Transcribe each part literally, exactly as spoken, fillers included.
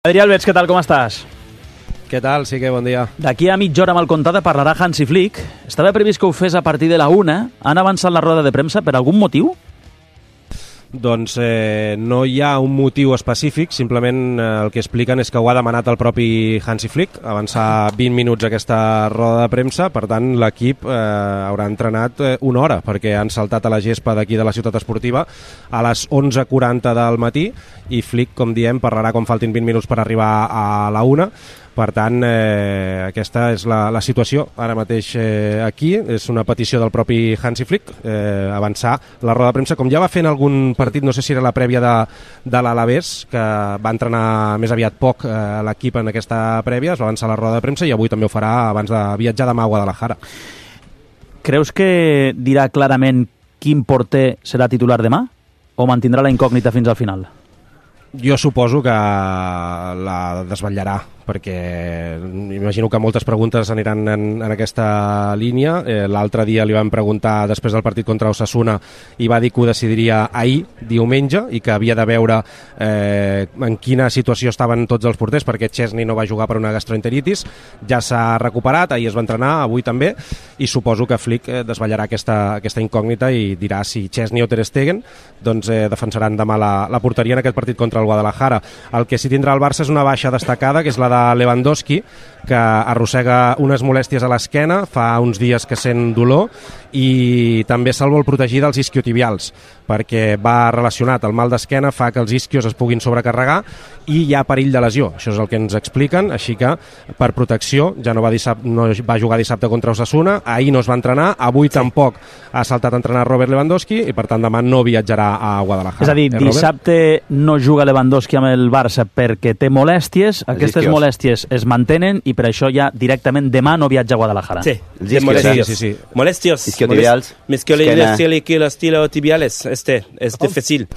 Adrià Alberts, què tal, com estàs? Què tal? Sí que bon dia. D'aquí a mitja hora amb el comptat parlarà Hansi Flick. Estava previst que ho fes a partir de la una. Han avançat la roda de premsa per algun motiu? Doncs eh, no hi ha un motiu específic, simplement eh, el que expliquen és que ho ha demanat el propi Hansi Flick, avançar vint minuts aquesta roda de premsa, per tant l'equip eh, haurà entrenat eh, una hora, perquè han saltat a la gespa d'aquí de la ciutat esportiva a les onze quaranta del matí i Flick, com diem, parlarà quan faltin vint minuts per arribar a la una. Per tant, eh, aquesta és la, la situació ara mateix eh, aquí. És una petició del propi Hansi Flick, eh, avançar la roda de premsa, com ja va fer en algun partit, no sé si era la prèvia de, de l'Alavés, que va entrenar més aviat poc eh, l'equip en aquesta prèvia, es va avançar la roda de premsa i avui també ho farà abans de viatjar demà a Guadalajara. Creus que dirà clarament quin porter serà titular demà o mantindrà la incògnita fins al final? Jo suposo que la desvetllarà, perquè imagino que moltes preguntes aniran en, en aquesta línia. Eh, L'altre dia li van preguntar, després del partit contra Osasuna, i va dir que ho decidiria ahir, diumenge, i que havia de veure eh, en quina situació estaven tots els porters, perquè Chesney no va jugar per una gastroenteritis, ja s'ha recuperat, ahir es va entrenar, avui també, i suposo que Flick eh, desvetllarà aquesta, aquesta incògnita i dirà si Chesney o Ter Stegen doncs, eh, defensaran demà la, la porteria en aquest partit contra el Guadalajara. El que sí tindrà el Barça és una baixa destacada, que és la de Lewandowski, que arrossega unes molèsties a l'esquena, fa uns dies que sent dolor, i també se'l vol protegir dels isquiotibials, perquè va relacionat, el mal d'esquena fa que els isquios es puguin sobrecarregar i hi ha perill de lesió. Això és el que ens expliquen, així que per protecció ja no va, dissabte, no va jugar dissabte contra Osasuna, ahir no es va entrenar, avui sí. Tampoc ha saltat a entrenar Robert Lewandowski i per tant demà no viatjarà a Guadalajara. És a dir, eh, dissabte no juga Lewandowski amb el Barça perquè té molèsties, els aquestes isquios. molèsties es mantenen i per això ja directament demà no viatja a Guadalajara. Sí, sí, molèsties. Sí, sí, sí. Molèsties. Isquiotibials. Isquiotibiales. Este es difícil.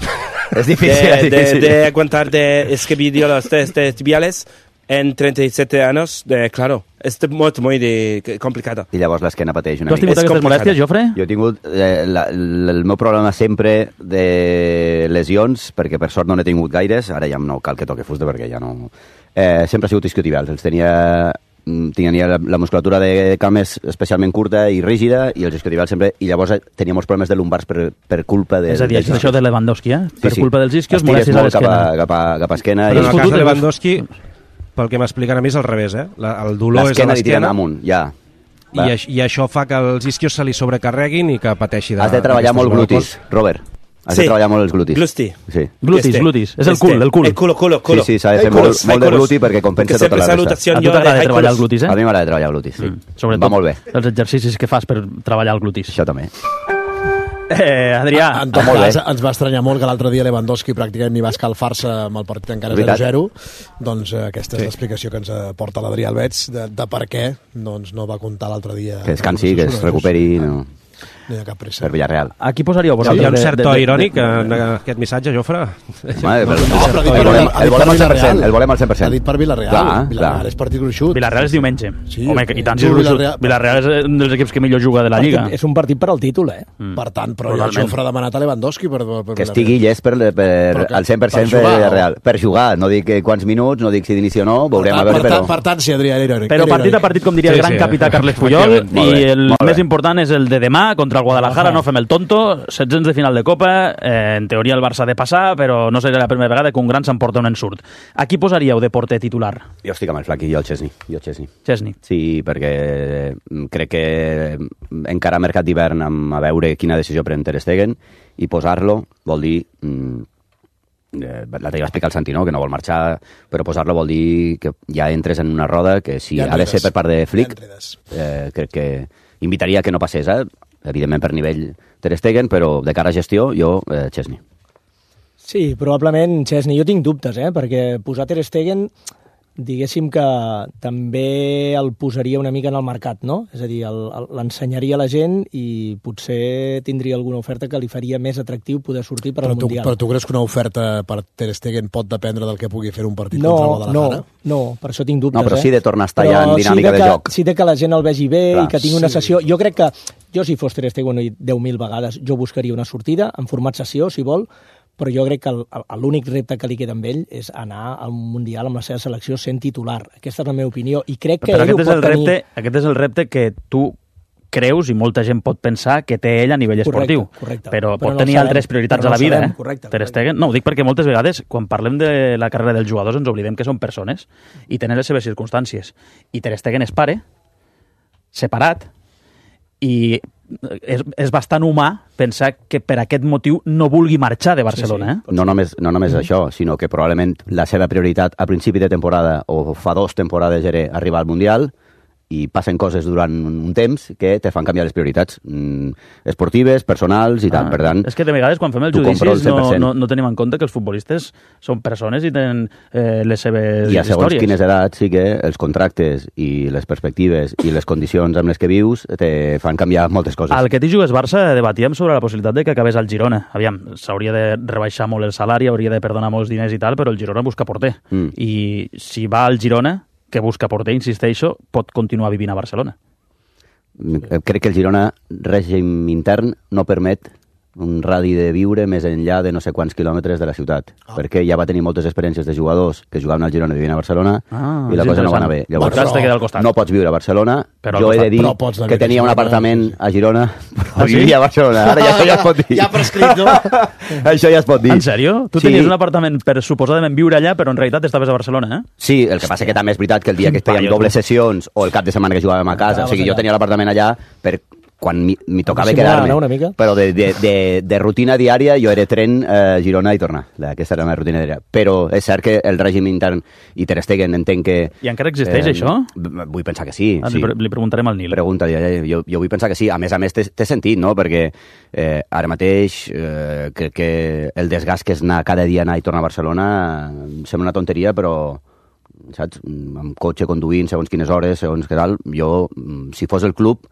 Es difícil. De, de, de aguantar de escribir los test tibiales en trenta y siete años, de, claro, és molt, molt de, complicada. I llavors l'esquena pateix una mica. Tu has tingut mica. aquestes molèsties, Jofre? Jo he tingut eh, la, la, el meu problema sempre de lesions, perquè per sort no n'he tingut gaires, ara ja no cal que toque fusta perquè ja no... Eh, sempre ha sigut isquiotibials, els tenia... tenia la, la musculatura de cames especialment curta i rígida i els isquiotibials sempre, i llavors tenia molts problemes de lumbars per, per culpa de... És a dir, de això de Lewandowski, eh? Per sí, sí. culpa dels isquios, molèsties a l'esquena. Cap a, cap a, cap a esquena. Però i... en el cas de Lewandowski, pel que m'expliquen a mi és al revés, eh? La, el dolor és a l'esquena li tiren l'esquena amunt, ja. I, aix, i això fa que els isquios se li sobrecarreguin i que pateixi de... Has de treballar molt glutis, Robert. Has sí. de treballar molt els glutis. Gluti. Sí. Glutis, este. glutis. És el este. cul, el cul. El culo, culo, culo. Sí, sí, s'ha de fer molt, molt de gluti perquè compensa tota la resta. A tu t'agrada treballar el glutis, eh? A mi m'agrada treballar el glutis, sí. Mm. Sobretot va molt bé. Els exercicis que fas per treballar el glutis. Això també. Eh, Adrià. En tot cas, ens va estranyar molt que l'altre dia Lewandowski pràcticament ni va escalfar-se amb el partit encara zero zero. Doncs eh, aquesta és sí. l'explicació que ens porta l'Adrià Alberts de, de per què doncs, no va comptar l'altre dia. Que descansi, que es recuperi... No. No hi ha cap pressa. Per Villarreal. Aquí posaríeu Sí, hi ha un cert to irònic en aquest missatge, Jofre. Home, el, no, però el, volem, el volem al cent per cent. El volem al cent per cent. Ha dit per Villarreal. Clar, Villarreal clar. és partit gruixut. Villarreal és diumenge. Sí, Home, i tant si és gruixut. Villarreal... Villarreal és un dels equips que millor juga de la Lliga. És un partit per al títol, eh? Mm. Per tant, però el Jofre ha demanat a Lewandowski per, per que estigui llest per, per, per al cent per cent per Villarreal. Per jugar, no dic quants minuts, no dic si d'inici o no, veurem a veure, però... Per tant, sí, Adrià, era irònic. Però partit a partit, com diria el gran capità Carles Puyol, i el més important és el de demà contra el Guadalajara, no fem el tonto, setzents de final de Copa, eh, en teoria el Barça ha de passar, però no serà la primera vegada que un gran s'emporta un ensurt. A qui posaríeu de porter titular? Jo estic amb el Flaqui, jo el Chesney. Jo el Chesney. Chesney. Sí, perquè crec que encara mercat d'hivern a veure quina decisió pren Ter Stegen i posar-lo vol dir... Mm, l'altre dia va explicar el Santi, no? Que no vol marxar, però posar-lo vol dir que ja entres en una roda que si ha de ser per part de Flick, eh, crec que invitaria que no passés, eh? Evidentment per nivell Ter Stegen, però de cara a gestió, jo, eh, Chesney. Sí, probablement Chesney. Jo tinc dubtes, eh? Perquè posar Ter Stegen, diguéssim que també el posaria una mica en el mercat, no? És a dir, l'ensenyaria a la gent i potser tindria alguna oferta que li faria més atractiu poder sortir per al tu, Mundial. Però tu creus que una oferta per Ter Stegen pot dependre del que pugui fer un partit no, contra el Guadalajara? No, no, per això tinc dubtes. No, però sí de tornar a estar però ja en dinàmica sí de, de que, joc. Sí de que la gent el vegi bé. Clar, i que tingui una sí. sessió. Jo crec que, jo si fos Ter Stegen deu mil vegades, jo buscaria una sortida en format sessió, si vol, però jo crec que el, el, l'únic repte que li queda amb ell és anar al Mundial amb la seva selecció sent titular. Aquesta és la meva opinió, i crec que però ell ho pot és tenir... repte, aquest és el repte que tu creus i molta gent pot pensar que té ell a nivell esportiu, correcte, correcte. però, però pot no tenir sabem, altres prioritats no a la vida. sabem, Eh? correcte, Ter correcte. Stegen, no, ho dic perquè moltes vegades, quan parlem de la carrera dels jugadors, ens oblidem que són persones i tenen les seves circumstàncies. I Ter Stegen és pare, separat, i és, és bastant humà pensar que per aquest motiu no vulgui marxar de Barcelona. Sí, sí. Eh? No només, no només això, sinó que probablement la seva prioritat a principi de temporada o fa dos temporades era arribar al Mundial, i passen coses durant un temps que te fan canviar les prioritats mm, esportives, personals i tal, Ah, per tant... és que de vegades quan fem els tu compro el judicis no, cent per cent. no, no tenim en compte que els futbolistes són persones i tenen eh, les seves I a segons històries. quines edats sí que els contractes i les perspectives i les condicions amb les que vius te fan canviar moltes coses. Al que t'hi jugues Barça debatíem sobre la possibilitat de que acabés al Girona. Aviam, s'hauria de rebaixar molt el salari, hauria de perdonar molts diners i tal, però el Girona busca porter. Mm. I si va al Girona, que busca porter, insisteixo, pot continuar vivint a Barcelona. Crec que el Girona, règim intern, no permet un radi de viure més enllà de no sé quants quilòmetres de la ciutat, ah. perquè ja va tenir moltes experiències de jugadors que jugaven al Girona i vivien a Barcelona, Ah, i la és cosa no va interessant. anar bé. Llavors, Però- queda al costat. no pots viure a Barcelona. Però al Jo he de costat. dir Però pots anar a que viure tenia a un Girona, apartament sí, sí. a Girona, però Ah, sí? vivia a Barcelona. Ara ja, això ja es pot dir. Ja prescrit, no? Això ja es pot dir. En sèrio? Tu Sí. tenies un apartament per suposadament viure allà, però en realitat estaves a Barcelona, eh? Sí, el que passa que també és veritat que el dia que fèiem Paio, dobles tu. sessions o el cap de setmana que jugàvem a casa, o sigui, jo tenia l'apartament allà per quan mi, mi tocava dissimular, quedar-me. no, una mica? Però de, de, de, de rutina diària jo era tren, eh, Girona i tornar. Aquesta era la meva rutina diària. Però és cert que el règim intern i Ter Stegen entenc que... I encara existeix, això? b- Vull pensar que sí. Ah, sí. li, pre- li preguntarem al Nil. Pregunta, ja, ja, jo, jo vull pensar que sí. A més a més, té, té sentit, no? Perquè eh, ara mateix eh, crec que el desgast que és anar cada dia anar i tornar a Barcelona em sembla una tonteria, però saps? Amb cotxe, conduint, segons quines hores, segons què tal, jo, mm, si fos el club,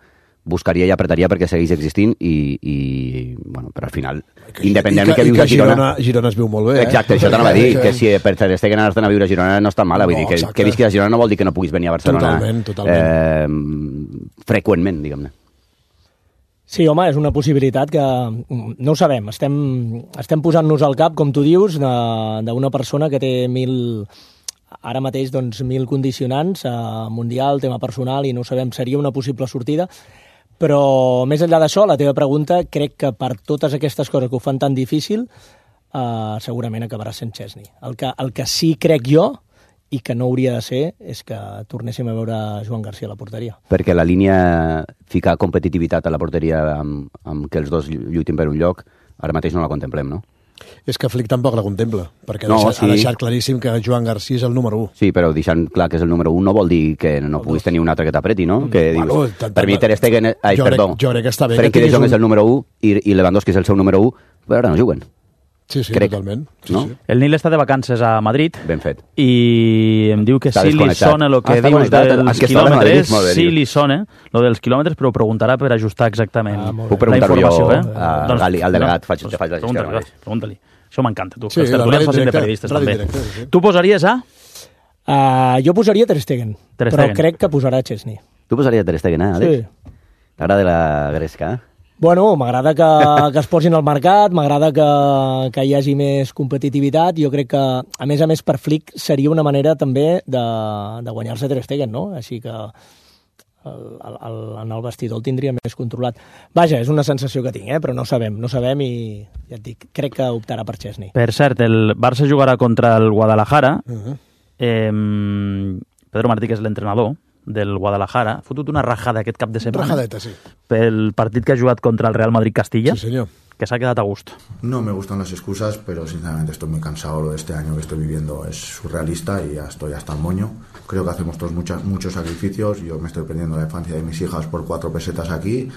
buscaria i apretaria perquè segueix existint i, i bueno, però al final, independentment I que, que vius i que a Girona... Girona, Girona es viu molt bé, eh? Exacte, això t'anava a dir, que si per Ter Stegen anar-te'n a viure a Girona no està mal, vull No, dir, que, exacte. que visquis a Girona no vol dir que no puguis venir a Barcelona Totalment, totalment. Eh, freqüentment, diguem-ne. Sí, home, és una possibilitat que mm, no ho sabem. Estem, estem posant-nos al cap, com tu dius, de- d'una persona que té mil, ara mateix doncs, mil condicionants, eh, mundial, tema personal, i no ho sabem, seria una possible sortida. Però més enllà d'això, la teva pregunta, crec que per totes aquestes coses que ho fan tan difícil, eh, segurament acabarà sent Chesney. El que, el que sí crec jo, i que no hauria de ser, és que tornéssim a veure Joan Garcia a la porteria. Perquè la línia ficar competitivitat a la porteria amb, amb que els dos lluitin per un lloc, ara mateix no la contemplem, no? És que Flick tampoc la contempla, perquè No, no, deixat, sí. ha deixat claríssim que Joan Garcia és el número u. Sí, però deixant clar que és el número un no vol dir que no puguis tenir un altre que t'apreti, no? Que Bueno, dius, tant- per mi Ter Stegen... és- Ai, jo crec- perdó. jo crec que està bé que Frenkie de tinguis Jong un- és el número un i, i Lewandowski és el seu número un, però ara no juguen. Sí, sí, Crec, totalment. Sí, no? sí. El Nil està de vacances a Madrid Ben fet. i em diu que Està sí li desconnectat. sona el que Ah, està dius connectat. dels Ah, que està de Madrid, quilòmetres, molt bé, sí diu. li sona lo dels quilòmetres, però ho preguntarà per ajustar exactament Ah, molt Puc la preguntar-ho informació. jo eh? a- Gali- al delegat, faig- te faig la gestió pregunta-li, ara mateix. va, pregunta-li. Això m'encanta, tu. Sí, que els la tertulians ràdio facin de directa, periodistes, ràdio també. directa, sí. Tu posaries a... Uh, jo posaria Ter Stegen, Ter però Stegen. crec que posarà Chesney. Tu posaries Ter Stegen, eh, Àlex? Sí. T'agrada la gresca, eh? Bueno, m'agrada que, que es posin al mercat, m'agrada que, que hi hagi més competitivitat. Jo crec que, a més a més, per Flick seria una manera també de, de guanyar-se Ter Stegen, no? Així que el, el, el, en el vestidor el tindria més controlat. Vaja, és una sensació que tinc, eh? Però no sabem, no sabem i ja et dic, crec que optarà per Chesney. Per cert, el Barça jugarà contra el Guadalajara. Uh -huh. eh, Pedro Martí, que és l'entrenador del Guadalajara, ha fotut una rajada aquest cap de setmana Rajadeta, sí. pel partit que ha jugat contra el Real Madrid-Castilla, Sí, senyor. que s'ha quedat a gust. No me gustan las excusas, pero sinceramente estoy muy cansado. Lo de este año que estoy viviendo es surrealista y ya estoy hasta el moño. Creo que hacemos todos muchas, muchos sacrificios. Yo me estoy perdiendo la infancia de mis hijas por cuatro pesetas aquí,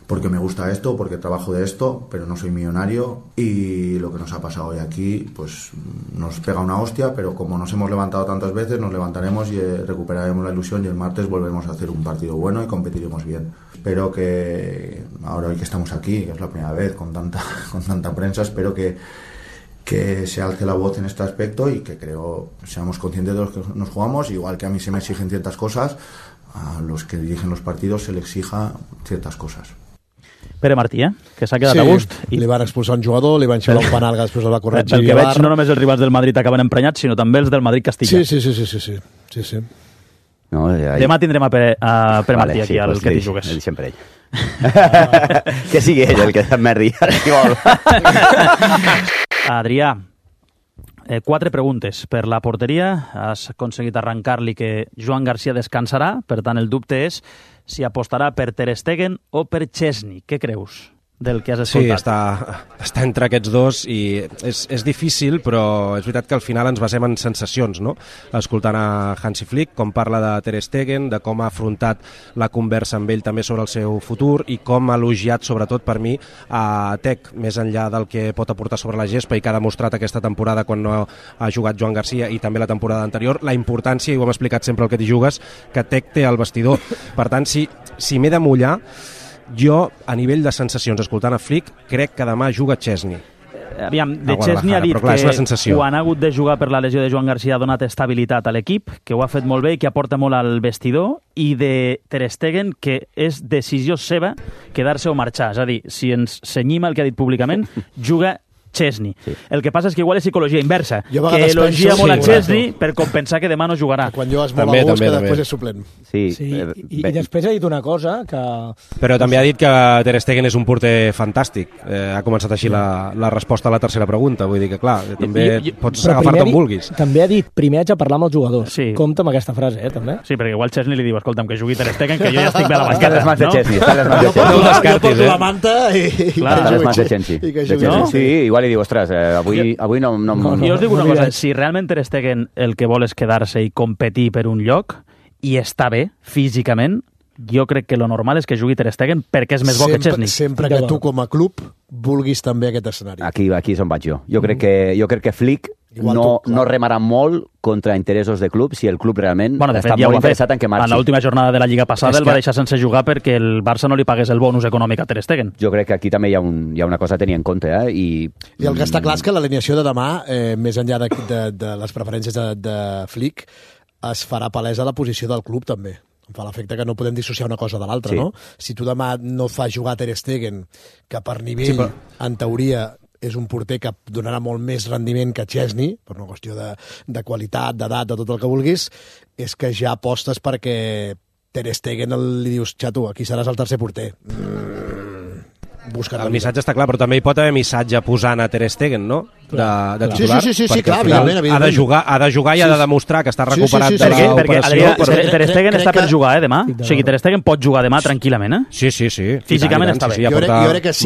porque me gusta esto, porque trabajo de esto, pero no soy millonario. Y lo que nos ha pasado hoy aquí, pues nos pega una hostia, pero como nos hemos levantado tantas veces, nos levantaremos y eh, recuperaremos la ilusión y el martes volveremos a hacer un partido bueno y competiremos bien. Espero que ahora hoy que estamos aquí, que es la primera vez con tanta, con tanta prensa, espero que, que se alce la voz en este aspecto y que creo seamos conscientes de los que nos jugamos, igual que a mí se me exigen ciertas cosas, a los que dirigen los partidos se les exija ciertas cosas. Pere Martí, eh? Que s'ha quedat sí, a gust. I... li van expulsar un jugador, li van xiular un penal que després el va corregir. Pel que veig, no només els rivals del Madrid acaben emprenyats, sinó també els del Madrid Castilla. Sí, sí, sí, sí, sí, sí. sí, sí. No, ja... Demà tindrem a Pere, a Pere vale, Martí aquí, sí, al pues que li, t'hi jugues. li sempre ell. Que sigui ell el que s'emmerdi. Si vol. Adrià, eh, quatre preguntes per la porteria. Has aconseguit arrencar-li que Joan Garcia descansarà, per tant el dubte és si apostarà per Ter Stegen o per Chesney. Què creus del que has escoltat? Sí, està, està entre aquests dos i és, és difícil, però és veritat que al final ens basem en sensacions, no? Escoltant a Hansi Flick, com parla de Ter Stegen, de com ha afrontat la conversa amb ell també sobre el seu futur i com ha elogiat, sobretot per mi, a Tec, més enllà del que pot aportar sobre la gespa i que ha demostrat aquesta temporada quan no ha jugat Joan Garcia i també la temporada anterior, la importància, i ho hem explicat sempre el que t'hi jugues, que Tec té al vestidor. Per tant, si, si m'he de mullar, jo, a nivell de sensacions, escoltant a Flick, crec que demà juga Chesney. Aviam, de Chesney ha dit clar, que quan ha hagut de jugar per la lesió de Joan Garcia ha donat estabilitat a l'equip, que ho ha fet molt bé i que aporta molt al vestidor, i de Ter Stegen que és decisió seva quedar-se o marxar. És a dir, si ens cenyim el que ha dit públicament, juga Chesney. Sí. El que passa és que igual és psicologia inversa, que elogia molt a Chesney sí, per compensar que demà no jugarà. Que quan jugues molt també, a gust, que també. Després és suplent. Sí, sí eh, i, i després ha dit una cosa que... Però també ha dit que Ter Stegen és un porter fantàstic. Eh, ha començat així la, la resposta a la tercera pregunta. Vull dir que, clar, també I, i, pots agafar-te on vulguis. També ha dit, primer haig de parlar amb els jugadors. Sí. Compte amb aquesta frase, eh, també. Sí, perquè igual Chesney li diu, escolta'm, que jugui Ter Stegen, que jo ja estic bé a la banqueta. Està les mans de Chesney, està les mans de Chesney. Jo porto la manta i... Està les mans de Chesney. Sí, igual li diu, ostres, Avui, avui no, no, no, jo us dic una no cosa, si realment Ter Stegen el que vol és quedar-se i competir per un lloc i està bé físicament, jo crec que lo normal és que jugui Ter Stegen perquè és més bo sempre, que Chesney. Sempre que tu com a club vulguis també aquest escenari. Aquí, aquí és on vaig jo. Jo crec que, jo crec que Flick no, tu, no remarà molt contra interessos de club si el club realment bueno, de fet, està ja molt interessat en que marxi. En l'última jornada de la Lliga passada és el va deixar sense jugar perquè el Barça no li pagués el bonus econòmic a Ter Stegen. Jo crec que aquí també hi ha, un, hi ha una cosa a tenir en compte. Eh? I, I el que està clar és que l'alineació de demà, eh, més enllà de, de, de les preferències de, de Flick, es farà palesa la posició del club també. Em fa l'efecte que no podem dissociar una cosa de l'altra, sí. No? Si tu demà no fas jugar Ter Stegen, que per nivell, sí, però... en teoria, és un porter que donarà molt més rendiment que Chesney, per una qüestió de, de qualitat, d'edat, de tot el que vulguis, és que ja apostes perquè Ter Stegen li dius, xato, aquí seràs el tercer porter. Mm. El missatge està clar, però també hi pot haver missatge posant a Ter Stegen, no? De, de titular. Sí, sí, sí, sí clar, evidentment, evidentment. Ha de jugar, ha de jugar i ha de demostrar que està recuperat sí, sí, sí, sí, de l'operació. Perquè, Adrià, Ter Stegen està per jugar, eh, demà? O sigui, Ter Stegen pot jugar demà tranquil·lament, eh? Sí, sí, sí. Físicament està bé. Sí, ja porta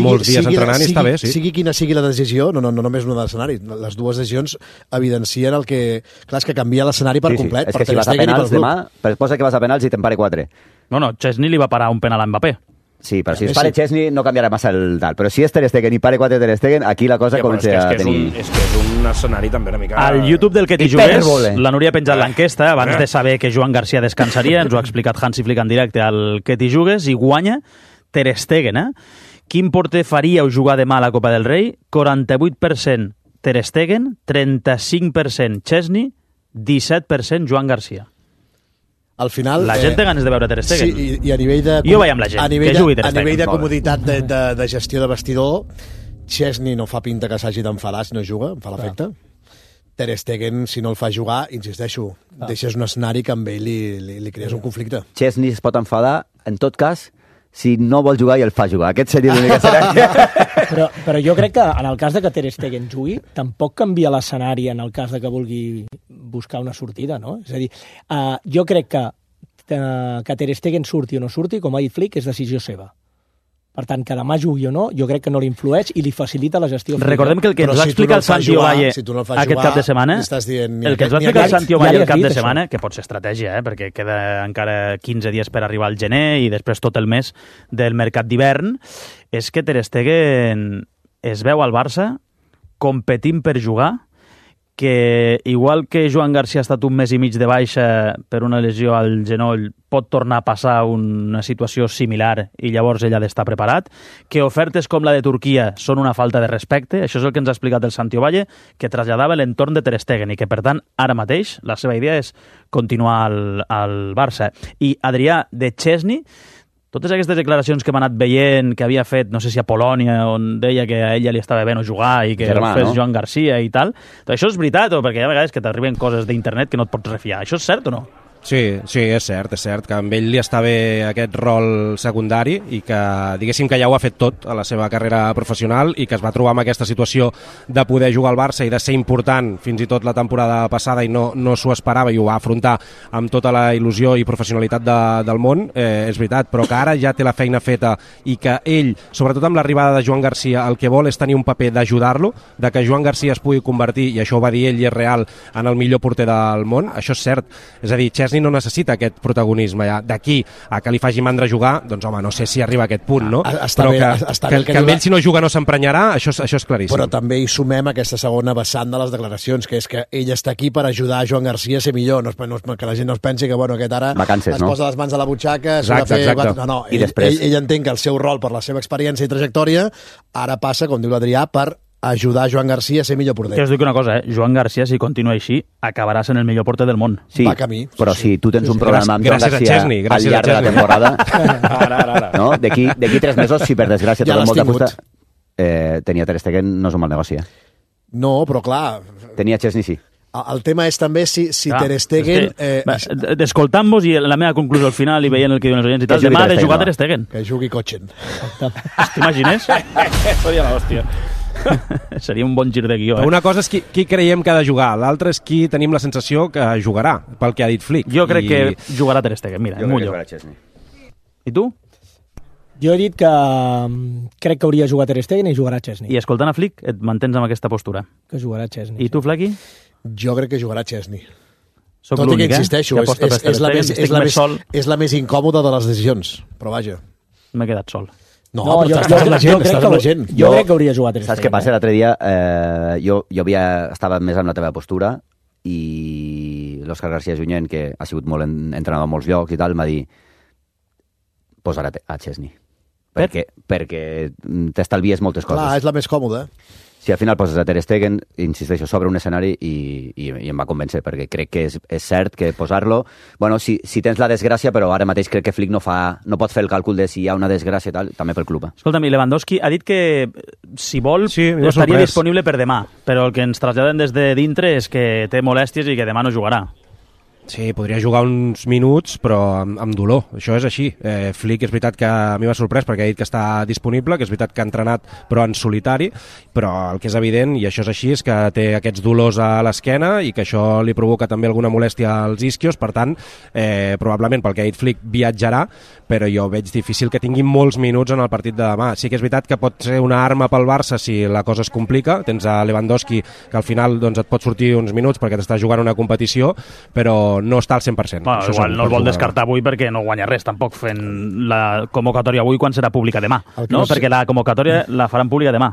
molts dies entrenant i està bé, sí. Sigui quina sigui la decisió, no, no, no només una de l'escenari, les dues decisions evidencien el que... Clar, és que canvia l'escenari per complet. És que si vas a penals demà, posa que vas a penals i te'n pare quatre. No, no, Chesney li va parar un penal a Mbappé. Sí, però si es pare Chesney no canviarà massa el tal. Però si és Ter Stegen i pare quatre Ter Stegen, aquí la cosa ja, comença és que, és que a tenir... És, un, és que és un escenari també una mica... Al YouTube del que t'hi jugués, la Núria ha penjat l'enquesta abans de saber que Joan Garcia descansaria. Ens ho ha explicat Hansi Flick en directe al que t'hi jugues i guanya Ter Stegen, eh? Quin porter faríeu jugar demà a la Copa del Rei? quaranta-vuit per cent Ter Stegen, trenta-cinc per cent Chesney, disset per cent Joan Garcia. Al final, la gent té ganes de veure Ter Stegen. Sí, i, i a nivell de... Jo vaig amb la gent, que jugui Ter Stegen. A nivell de Stegen. comoditat de, de, de gestió de vestidor, Chesney no fa pinta que s'hagi d'enfadar si no juga, em fa l'efecte. Ter Stegen, si no el fa jugar, insisteixo, ah. deixes un escenari que amb ell li, li, li crees un conflicte. Chesney es pot enfadar, en tot cas, si no vol jugar i el fa jugar. Aquest seria l'únic escenari. però, però jo crec que en el cas de que Ter Stegen jugui, tampoc canvia l'escenari en el cas de que vulgui buscar una sortida, no? És a dir, uh, jo crec que, uh, que Ter Stegen surti o no surti, com ha dit Flick, és decisió seva. Per tant, que demà jugui o no, jo crec que no li influeix i li facilita la gestió. Recordem que el que ens va explicar el Santi Ovalle aquest cap de setmana, el que ens va explicar el Santi Ovalle el cap de setmana, que pot ser estratègia, eh, perquè queda encara quinze dies per arribar al gener i després tot el mes del mercat d'hivern, és que Ter Stegen es veu al Barça competint per jugar, que igual que Joan Garcia ha estat un mes i mig de baixa per una lesió al genoll, pot tornar a passar una situació similar i llavors ell ha d'estar preparat, que ofertes com la de Turquia són una falta de respecte, això és el que ens ha explicat el Santi Ovalle, que traslladava l'entorn de Ter Stegen i que, per tant, ara mateix la seva idea és continuar al, al Barça. I, Adrià, de Chesney, totes aquestes declaracions que hem anat veient, que havia fet, no sé si a Polònia, on deia que a ella li estava bé no jugar i que Germà, ho fes no? Joan Garcia i tal, això és veritat, o perquè hi ha vegades que t'arriben coses d'internet que no et pots refiar. Això és cert o no? Sí, sí, és cert, és cert que amb ell li està bé aquest rol secundari i que diguéssim que ja ho ha fet tot a la seva carrera professional i que es va trobar amb aquesta situació de poder jugar al Barça i de ser important fins i tot la temporada passada i no, no s'ho esperava i ho va afrontar amb tota la il·lusió i professionalitat de, del món, eh, és veritat, però que ara ja té la feina feta i que ell, sobretot amb l'arribada de Joan Garcia, el que vol és tenir un paper d'ajudar-lo, de que Joan Garcia es pugui convertir, i això ho va dir ell i és real, en el millor porter del món, això és cert. És a dir, Chesney no necessita aquest protagonisme ja. D'aquí a que li faci mandra jugar, doncs home, no sé si arriba a aquest punt, no? Ah, està però bé, que, està que, bé que que amb diu- ell si no juga no s'emprenyarà, això, és- això és claríssim. Però també hi sumem aquesta segona vessant de les declaracions, que és que ell està aquí per ajudar a Joan Garcia a ser millor, no, es- no, es- que la gent no es pensi que bueno, aquest ara Vacances, es no? posa les mans a la butxaca, s'ho ha de Exacte, fer... exacte. No, no, I ell, després- ell, ell entén que el seu rol per la seva experiència i trajectòria ara passa, com diu l'Adrià, per ajudar Joan Garcia a ser millor porter. Que us dic una cosa, eh? Joan Garcia, si continua així, acabarà sent el millor porter del món. Sí, Va camí, sí, però sí. si tu tens un problema amb Joan Gràcies a Garcia Chesney, al gràcies a llarg de la Chesney. temporada, Ara, ara, ara. no? D'aquí d'aquí tres mesos, si per desgràcia Ja trobem l'has molta tingut. fusta, eh, tenia Ter Stegen no és un mal negoci. Eh? No, però clar, Tenia Chesney, sí. el tema és també si, si Clar, Ter Stegen... és que, Eh, va, Escoltant-vos i la meva conclusió al final i veient el que diuen els oients i Que tal, jugui demà ha Ter de Stegen, jugar va. Ter Stegen. que jugui Cotxen. T'imagines? Seria l'hòstia. Seria un bon gir de guió, eh? Una cosa és qui, qui creiem que ha de jugar, l'altra és qui tenim la sensació que jugarà, pel que ha dit Flick. Jo crec I... que jugarà Ter Stegen, mira, Jo em crec que mullo. jugarà Chesney. I tu? Jo he dit que mm, crec que hauria jugat Ter Stegen i jugarà Chesney. I escoltant a Flick, et mantens amb aquesta postura. Que jugarà Chesney. I tu, Flequi? Jo crec que jugarà Chesney. Soc Tot i que l'únic, eh? insisteixo, Que és, aposta per és, Ter és, la Stegen, més, estic és, la més més, sol. és la més incòmoda de les decisions, però vaja. M'he quedat sol. No, No, però jo, estàs jo, amb la jo, gent, crec estàs que, amb la gent. jo crec que hauria jugat Ter Stegen. Saps què passa? L'altre dia eh, jo, jo havia, estava més amb la teva postura i l'Òscar García Junyent, que ha sigut molt en, entrenador a molts llocs i tal, m'ha dit posar a, a Chesney. Per? Perquè, perquè t'estalvies moltes coses. Clar, és la més còmoda. Si al final poses a Ter Stegen, insisteixo, sobre un escenari i, i, i em va convèncer, perquè crec que és, és cert que posar-lo... Bueno, si, si tens la desgràcia, però ara mateix crec que Flick no, fa, no pot fer el càlcul de si hi ha una desgràcia i tal, també pel club. Eh? Escolta'm, i Lewandowski ha dit que, si vol, Sí, m'ha estaria sorprès. disponible per demà, però el que ens traslladen des de dintre és que té molèsties i que demà no jugarà. Sí, podria jugar uns minuts, però amb, amb dolor. Això és així. Eh, Flick és veritat que a mi m'ha sorprès perquè ha dit que està disponible, que és veritat que ha entrenat, però en solitari, però el que és evident, i això és així, és que té aquests dolors a l'esquena i que això li provoca també alguna molèstia als isquios, per tant, eh, probablement pel que ha dit Flick viatjarà, però jo veig difícil que tingui molts minuts en el partit de demà. Sí que és veritat que pot ser una arma pel Barça si la cosa es complica. Tens a Lewandowski, que al final doncs, et pot sortir uns minuts perquè t'està jugant una competició, però no està al cent per cent. Bueno, Això igual segur, no el pot vol jugar. descartar avui perquè no guanya res tampoc fent la convocatòria avui quan serà pública demà, El que no? no sé- Perquè la convocatòria la faran pública demà.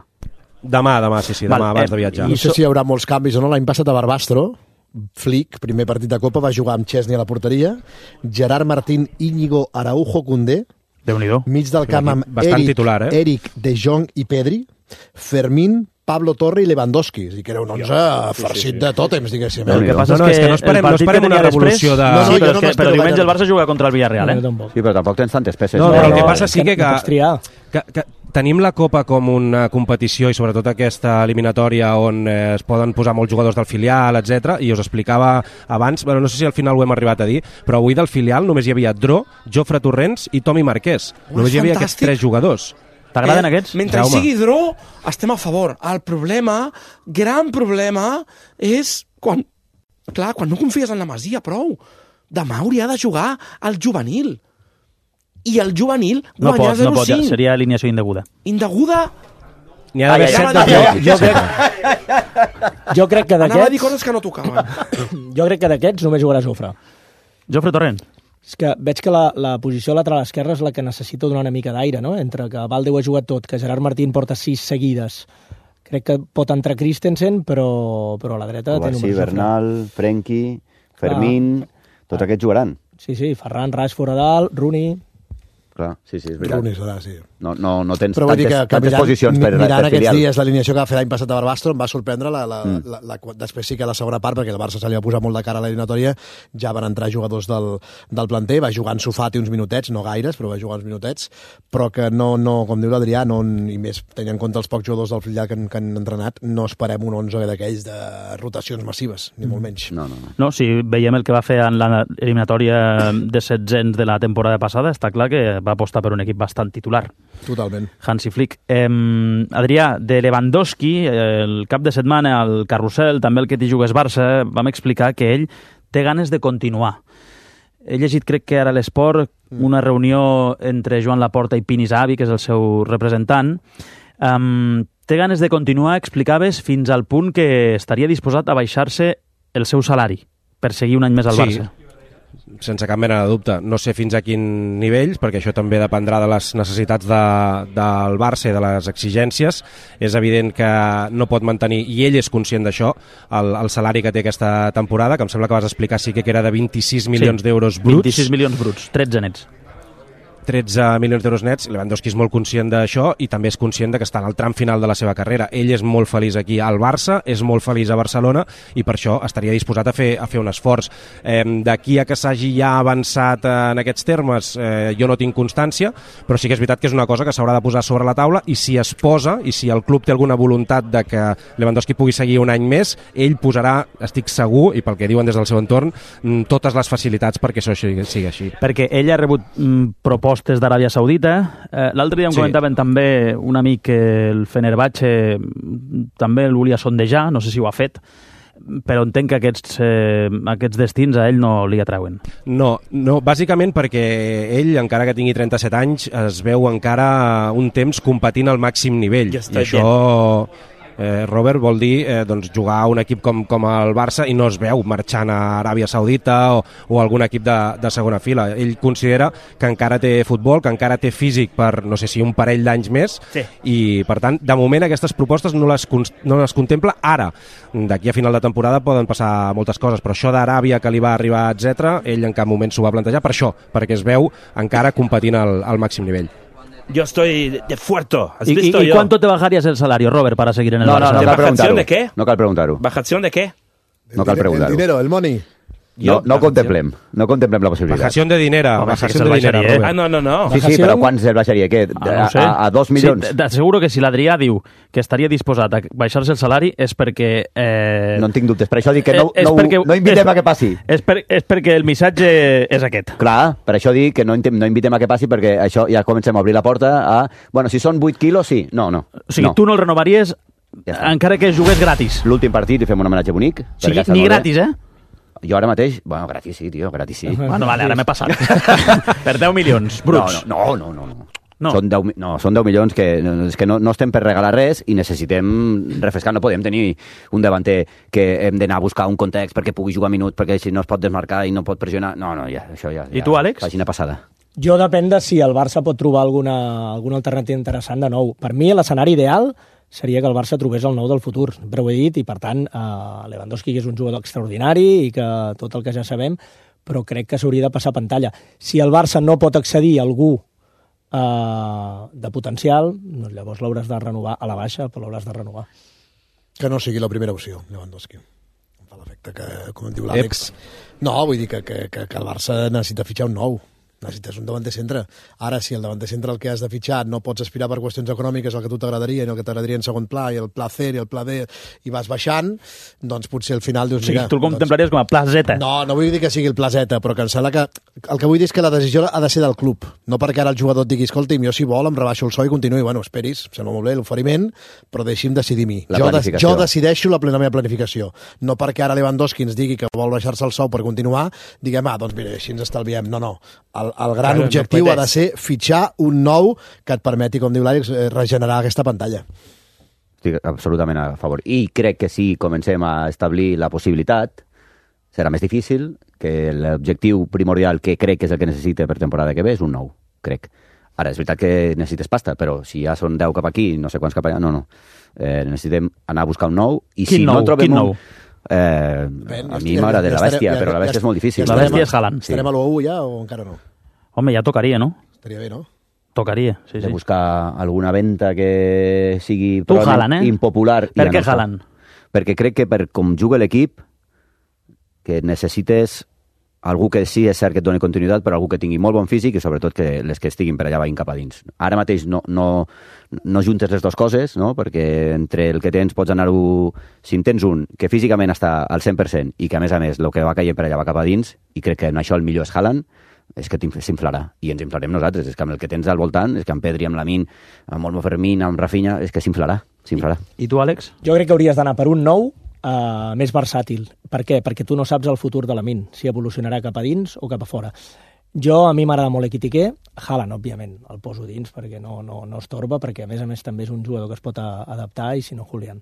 Demà, demà, sí, sí, demà, Val, abans eh, de viatjar. No sé si hi haurà molts canvis o no. L'any passat a Barbastro, Flick, primer partit de Copa, va jugar amb Chesney a la porteria, Gerard Martín, Íñigo, Araujo, Condé, Déu-n'hi-do. mig del camp amb Bastant Eric, titular, eh? Eric, De Jong i Pedri, Fermín, Pablo Torre i Lewandowski. És a dir, que era un onze farcit de tòtems, diguéssim. El que Eh? passa No, no, és és que, que no esperem- el no partit esperem que una tenia revolució després... de- No, no, sí, jo però, no és que, m'espero però diumenge gaire. el Barça juga contra el Villarreal, No, eh? jo tampoc. Sí, però tampoc tens tantes peces. No, eh? però el que no, passa és sí que que, no pots triar. que, que tenim la Copa com una competició i sobretot aquesta eliminatòria on eh, es poden posar molts jugadors del filial, etcètera. I us explicava abans, bueno, no sé si al final ho hem arribat a dir, però avui del filial només hi havia Dro, Jofre Torrents i Tomi Marquès. Només hi havia aquests fantàstic. tres jugadors. T'agraden Eh, aquests? Mentre hi Jaume. sigui Dro, estem a favor. El problema, gran problema, és quan... Clar, quan no confies en la Masia prou. Demà hauria de jugar al juvenil. I el juvenil No guanyar pot, no pot, ja, zero cinc. seria alineació indeguda. Indeguda, N'hi ha d'haver Ai, ai, set ai, de ai, bloc. ai, Jo crec, jo crec que anava a dir d'aquests coses que no tocaven. jo crec que d'aquests només jugarà Jofre. Jofre Torrent. És que veig que la, la posició lateral esquerra és la que necessita donar una mica d'aire, no? Entre que Valde ho ha jugat tot, que Gerard Martín porta sis seguides. Crec que pot entrar Christensen, però, però a la dreta té Kovacic, números. Jofre. Bernal, Frenkie, Fermín... Tots aquests jugaran. Sí, sí, Ferran, Rashford a dalt, Rooney... Clar, sí, sí, és veritat. Rooney serà, sí. No, no, no tens Però vull dir tantes, que, que tantes mirant, posicions per, mirant per aquests filial. dies l'alineació que va fer l'any passat a Barbastro em va sorprendre la, la, Mm. la, la, la, després sí que la segona part, perquè el Barça se li va posar molt de cara a l'eliminatòria, ja van entrar jugadors del, del planter, va jugar en Sofati uns minutets, no gaires, però va jugar uns minutets, però que no, no com diu l'Adrià, no, i més tenint en compte els pocs jugadors del filial que, han, que han entrenat, no esperem un onze d'aquells de rotacions massives, ni molt menys. No, no, no. No, si veiem el que va fer en l'eliminatòria de setzents de la temporada passada, està clar que va apostar per un equip bastant titular. Totalment. Hansi Flick. Eh, Adrià, de Lewandowski, el cap de setmana al Carrusel, també el que t'hi jugues Barça, vam explicar que ell té ganes de continuar. He llegit, crec que ara a l'Esport, una reunió entre Joan Laporta i Pini Zahavi, que és el seu representant. Um, té ganes de continuar, explicaves, fins al punt que estaria disposat a baixar-se el seu salari per seguir un any més al Sí. Barça. Sense cap mena de dubte. No sé fins a quin nivell, perquè això també dependrà de les necessitats de, del Barça i de les exigències. És evident que no pot mantenir, i ell és conscient d'això, el, el salari que té aquesta temporada, que em sembla que vas explicar sí que era de vint-i-sis milions Sí, d'euros bruts. vint-i-sis milions bruts, tretze nets. tretze milions d'euros nets. Lewandowski és molt conscient d'això i també és conscient de que està en el tram final de la seva carrera. Ell és molt feliç aquí al Barça, és molt feliç a Barcelona i per això estaria disposat a fer, a fer un esforç. Eh, D'aquí a que s'hagi ja avançat en aquests termes, eh, jo no tinc constància, però sí que és veritat que és una cosa que s'haurà de posar sobre la taula i si es posa, i si el club té alguna voluntat de que Lewandowski pugui seguir un any més, ell posarà, estic segur, i pel que diuen des del seu entorn, totes les facilitats perquè això sigui, sigui així. Perquè ell ha rebut mm, propostes d'Aràbia Saudita. Eh, L'altre dia em Sí. comentaven també un amic que el Fenerbahce també el volia sondejar, no sé si ho ha fet, però entenc que aquests, eh, aquests destins a ell no li atreuen. No, no, bàsicament perquè ell, encara que tingui trenta-set anys, es veu encara un temps competint al màxim nivell. Ja està I això, eh, Robert, vol dir eh, doncs, jugar a un equip com, com el Barça i no es veu marxant a Aràbia Saudita o, o algun equip de, de segona fila. Ell considera que encara té futbol, que encara té físic per, no sé si un parell d'anys més, Sí. i per tant, de moment aquestes propostes no les, no les contempla ara. D'aquí a final de temporada poden passar moltes coses, però això d'Aràbia que li va arribar, etcètera, ell en cap moment s'ho va plantejar per això, perquè es veu encara competint al, al màxim nivell. Yo estoy de, de fuerto. ¿Has ¿Y, visto y, yo? cuánto te bajarías el salario, Robert, para seguir en el No, Barça? no, no ¿De cal bajación preguntar-ho. de qué? No cal preguntar-ho. ¿Bajación de qué? No cal El preguntar-ho. dinero, el money. No, no ho contemplem, no contemplem la possibilitat. Bajació de dinera, Home, sí que bajació se'l de dinera, baixaria, eh? Robert. Ah, no, no, no. Sí, sí, Bajació? però quants el baixaria? Què? Ah, no ho sé. a, a dos milions? Sí, t'asseguro que si l'Adrià diu que estaria disposat a baixar-se el salari és perquè... Eh, No en tinc dubtes. Per això dic que no, és no, perquè- no invitem és- a que passi. És, per, és perquè el missatge és aquest. Clar, per això dic que no, intem, no invitem a que passi perquè això ja comencem a obrir la porta a... Bueno, si són vuit quilos, sí. No, no. O sigui, no. tu no el renovaries Ja està. encara que jugués gratis. L'últim partit i fem un homenatge bonic. O sigui, perquè està ni molt bé. gratis, eh? Jo ara mateix... Bueno, gratis sí, tio, gratis sí. Bueno, vale, ara m'he passat. Per deu milions bruts. No, no, no, no. no. No. Són deu, mi- no, són deu milions que, no, és que no, no estem per regalar res i necessitem refrescar. No podem tenir un davanter que hem d'anar a buscar un context perquè pugui jugar minuts, perquè si no es pot desmarcar i no pot pressionar... No, no, ja, això ja... I ja, tu, Àlex? Pàgina passada. Jo depèn de si el Barça pot trobar alguna, alguna alternativa interessant de nou. Per mi, l'escenari ideal seria que el Barça trobés el nou del futur, però ho he dit, i per tant, eh, Lewandowski que és un jugador extraordinari i que tot el que ja sabem, però crec que s'hauria de passar pantalla. Si el Barça no pot accedir a algú eh, de potencial, doncs llavors l'hauràs de renovar a la baixa, però l'hauràs de renovar. Que no sigui la primera opció, Lewandowski. Em fa l'efecte que, com em diu l'Àlex... No, vull dir que, que, que, que el Barça necessita fitxar un nou. Necessites un davanter centre. Ara, si el davanter centre el que has de fitxar no pots aspirar per qüestions econòmiques el que a tu t'agradaria i el que t'agradaria en segon pla, i el pla C i el pla D, i vas baixant, doncs potser al final dius... O sigui, mira, tu el contemplaries doncs... com a pla Z. No, no vull dir que sigui el pla Z, però que em sembla que... El que vull dir és que la decisió ha de ser del club. No perquè ara el jugador et digui, escolti'm, jo si vol em rebaixo el sou i continuï. Bueno, esperis, em sembla molt bé l'oferiment, però deixi'm decidir mi. La Jo, de, planificació. jo decideixo la, la meva planificació. No perquè ara Lewandowski ens digui que vol baixar-se el sou per continuar, diguem, ah, doncs mira, així ens estalviem. No, no. El, el gran Claro, objectiu no ha de ser fitxar un nou que et permeti, com diu l'Àlex, eh, regenerar aquesta pantalla. Estic absolutament a favor. I crec que si comencem a establir la possibilitat, serà més difícil, que l'objectiu primordial que crec que és el que necessita per temporada que ve és un nou, crec. Ara, és veritat que necessites pasta, però si ja són deu cap aquí, no sé quants cap allà, no, no. Eh, necessitem anar a buscar un nou, i Quin si nou? no trobem Quin un... nou? Eh, Ben, a ja mi estarem- m'agrada ja la estarem- bèstia, ja- però la ja- bèstia és molt difícil. La estarem bèstia a- és Haaland. Estarem a l'u u ja o encara no? Home, ja tocaria, no? estaria bé, no? Tocaria, sí, de sí. buscar alguna venta que sigui Tu Haaland, eh? impopular. Per ja què no està. Haaland? Perquè crec que per com juga l'equip, que necessites algú que sí és cert que et doni continuïtat, però algú que tingui molt bon físic i sobretot que les que estiguin per allà vagin cap a dins. Ara mateix no, no, no juntes les dues coses, no? Perquè entre el que tens pots anar-ho... Si en tens un que físicament està al cent per cent i que a més a més el que va caient per allà va cap a dins, i crec que en això el millor és Haaland, és que s'inflarà. I ens inflarem nosaltres. És que amb el que tens al voltant, és que amb Pedri, amb Lamine, amb Olmo Fermín, amb Rafinha, és que s'inflarà. S'inflarà. I, I tu, Àlex? Jo crec que hauries d'anar per un nou uh, més versàtil. Per què? Perquè tu no saps el futur de Lamine, si evolucionarà cap a dins o cap a fora. Jo, a mi m'agrada molt Ekitike, Haaland, òbviament, el poso dins perquè no, no, no estorba, perquè a més a més també és un jugador que es pot a, adaptar, i si no, Julián.